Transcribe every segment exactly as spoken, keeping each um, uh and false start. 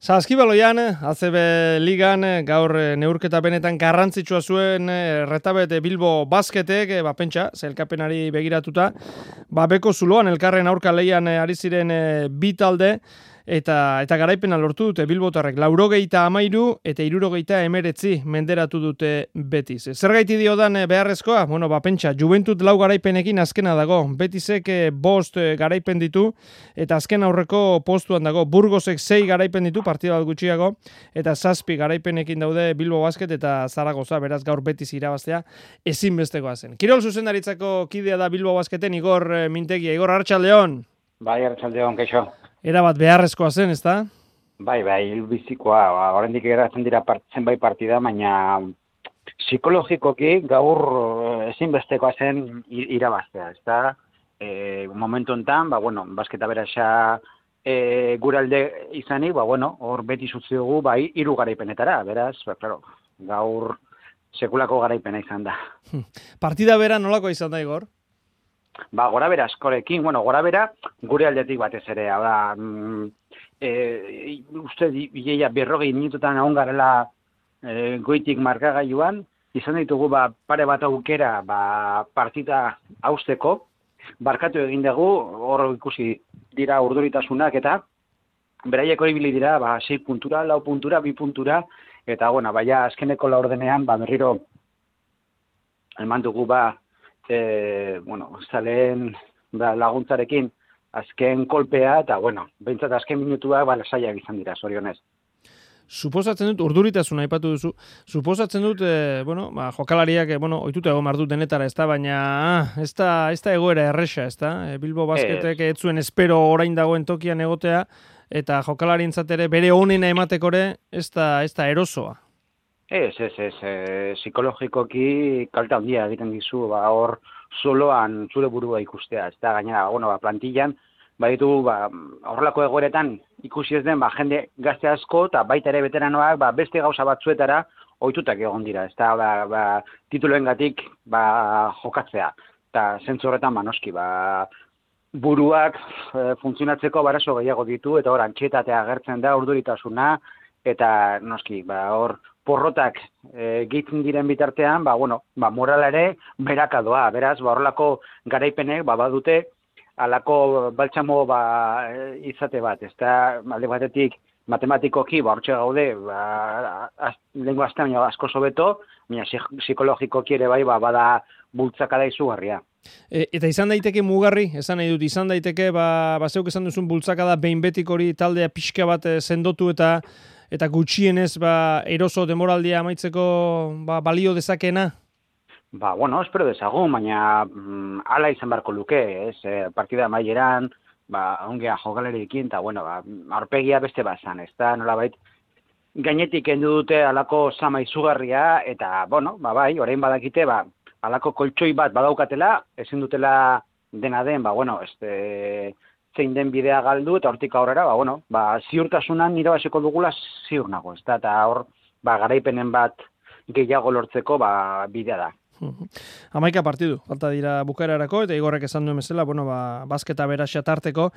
Saskibaloian, A C B Ligan, gaur neurketa benetan garrantzitsua zuen Retabet Bilbo Basketek, ba pentsa, zelkapenari begiratuta, ba beko zuloan elkarren aurka leian ari ziren bi talde, eta eta garaipena lortu dute Bilbotarrek laurogeita hamairu eta hirurogeita hemeretzi menderatu dute Betiz. Zergaiti diodan beharrezkoa? Bueno, ba pentsa, Juventut lau garaipenekin azkena dago. Betisek bost garaipen ditu eta azken aurreko postuan dago. Burgosek sei garaipen ditu partida bat gutxiago eta zazpi garaipenekin daude Bilbo Basket eta Zaragoza, beraz gaur Betiz irabaztea ezinbestekoa zen. Kirol zuzendaritzako kidea da Bilbo Basketen Igor Mintegia. Igor, arratsaldeon. Bai, arratsaldeon, kaixo. Era bat beharrezkoa zen, ezta? Bai, bai, hilbizikoa, oraindik geratzen dira part, zenbait partida, baina psikologikoki gaur ezinbestekoa zen irabaztea, ezta? E, momentu hontan, ba bueno, basketa berasa e, guralde izanik, ba bueno, hor beti utzi dugu bai hiru garaipenetara, beraz, ba claro, gaur sekulako garaipena izan da. Partida bera nolako izan da, Igor? Ba, gora bera askorekin, bueno, gora bera gure aldetik batez ere, da, mm, e, uste bileia berrogei minututan egon garela e, goitik markagailuan, izan ditugu ba, pare bat aukera ba, partida hausteko, barkatu egin dugu, hor ikusi dira urduritasunak eta beraiek hori bili dira, ba, sei puntura, lau puntura, bi puntura, eta, bueno, baina azkeneko laurdenean, ba, berriro eman dugu, ba, E, bueno, zaleen da, laguntzarekin azken kolpea, eta, bueno, behintzat azken minutuak ba, lasaiak izan dira, zorionez. Suposatzen dut, urduritasuna aipatu duzu, suposatzen dut, e, bueno, ba, jokalariak, e, bueno, oituta egon mardu denetara, ez da, baina ah, ez da, ez da egoera erresa, ez da, e, Bilbo Basketek ez zuen espero orain dagoen tokian egotea, eta jokalarientzat ere bere onena ematekore, ez da, ez da erosoa. Ez, ez, ez, e, psikologikoki kalte handia egiten dizu, ba, hor soloan zure burua ikustea, ez da, gainera, bueno, ba, plantillan, baditu, ba, horrelako egoeretan ikusi ez den, ba, jende gazte asko, eta baita ere veteranoak, ba, beste gauza batzuetara ohitutak egon dira, ez da, ba, ba, tituloengatik, ba, jokatzea, eta zentzu horretan, ba, noski, ba, buruak e, funtzionatzeko barazo gehiago ditu, eta hor, antxietatea agertzen da, urduritasuna, eta noski, ba, hor, porrotak e, gehitzen diren bitartean, ba, bueno, ba, morala ere berakadoa, beraz, ba, horrelako garaipenek, ba, badute, alako baltsamo, ba, izate bat, ez da, alde batetik, matematikoki, ba, hortxe gaude, ba, az, lengua aztean asko sobeto, baina psikologikoki ere bai, ba, bada bultzakada izugarria. E, eta izan daiteke mugarri, esan nahi dut, izan daiteke, ba, ba zeuk esan duzun bultzakada behin betik hori taldea pixka bat sendotu eta eta gutxienez ba, eroso demoraldia amaitzeko ba, balio dezakena? Ba, bueno, espero dezagun, baina mm, ala izan barko luke, ez? E, partida amaieran, ba, ongea jokalerekin, eta, bueno, ba, aurpegia beste bazan, ez da, nolabait, gainetik endu dute alako sama izugarria, eta, bueno, ba, bai, orain badakite, ba, alako koltsoi bat badaukatela, ezin dutela dena den, ba, bueno, este, zein den bidea galdu, eta hortik aurrera, ba, bueno, ba, ziurtasunan irabaziko dugula ziur nago, ez da, eta hor, ba, garaipenen bat gehiago lortzeko, ba, bidea da. Hamaika partidu, falta dira bukaerarako, eta Igorrek esan duen bezala, bueno, ba, basketa beraxa tarteko,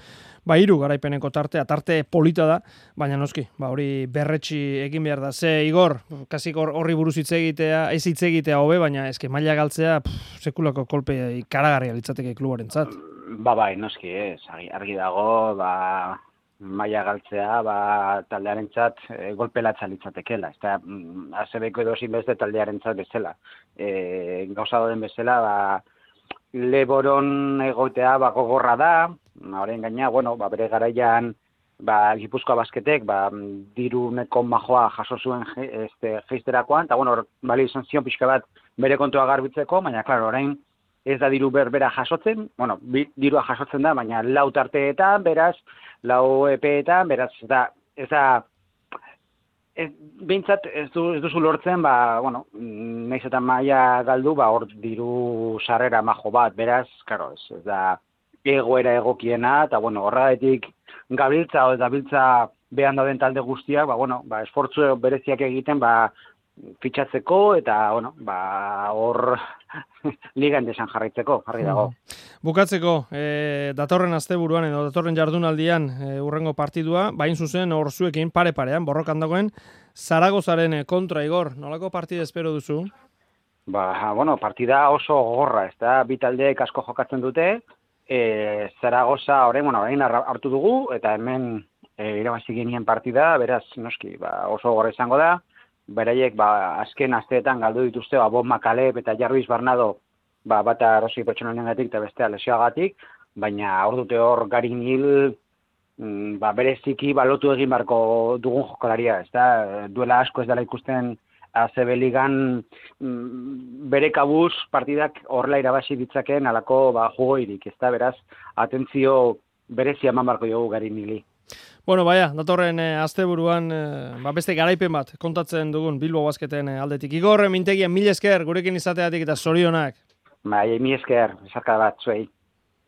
ba, hiru garaipeneko tartea, tarte polita da, baina noski, ba, hori berretsi egin behar da. Ze, Igor, kasik horri buruz hitz egitea, ez hitz egitea hobe, baina eske maila galtzea, pff, sekulako kolpe ikaragarria litzateke klubarentzat. Ba, bai, noski, ez, argi dago, ba, maila galtzea, ba, taldearentzat e, golpelatza litzatekela, ez da, A C Bko edozin beste taldearentzat bezala. E, gauza den bezala, ba, Leboron egotea ba, gogorra da, horren gaina, bueno, ba, bere garaian, ba, Gipuzkoa Basketek, ba, diruneko majoa jaso zuen este, geisterakoan, eta, bueno, bali izan zion pixka bat bere kontua garbitzeko, baina, klaro, orain, ez da diru berbera jasotzen, bueno, bi, dirua jasotzen da, baina lau tarteetan, beraz, lau epeetan, beraz, ez da, ez da, ez, behintzat ez, du, ez duzu lortzen, ba, bueno, nahiz eta maila galdu, ba, hor diru sarrera majo bat, beraz, karo, ez, ez da, egoera egokiena, eta, bueno, horregatik gabiltza, o gabiltza behan dauden talde guztiak, ba, bueno, ba, esfortzu bereziak egiten, ba, fitxatzeko eta, bueno, ba, hor ligan desan jarraitzeko, jarri dago. Bukatzeko, e, datorren asteburuan edo datorren jardunaldian e, urrengo partidua, bain zuzen hor zuekin pare-parean, borrokan dagoen, Zaragozaren kontra, Igor, nolako partida espero duzu? Ba, bueno, partida oso gogorra, ez da, bi taldeek asko jokatzen dute, e, Zaragoza orain, bueno, orain hartu dugu, eta hemen e, irabazi genien partida, beraz, noski, ba, oso gogorra izango da, beraiek ba, azken asteetan galdu dituzte ba, Bob Makalep eta Jarvis Barnado ba, bata erosi pertsonaliengatik eta bestea lesioagatik, baina hor dute hor Garin Hil mm, ba, bereziki balotu egin barko dugun jokalaria, ez da, duela asko ez dela ikusten A C B Ligan mm, bere kabuz partidak horrela irabazi ditzakeen alako ba, jugoirik, ez da, beraz, atentzio berezia eman barko dugu Garin Hili. Bueno, baia, datorren eh, asteburuan eh, ba beste garaipen bat kontatzen dugun Bilbo Basketen eh, aldetik. Igor, mintegian mil esker gurekin izateatik eta zorionak. Bai, mil esker, esarka bat zuei.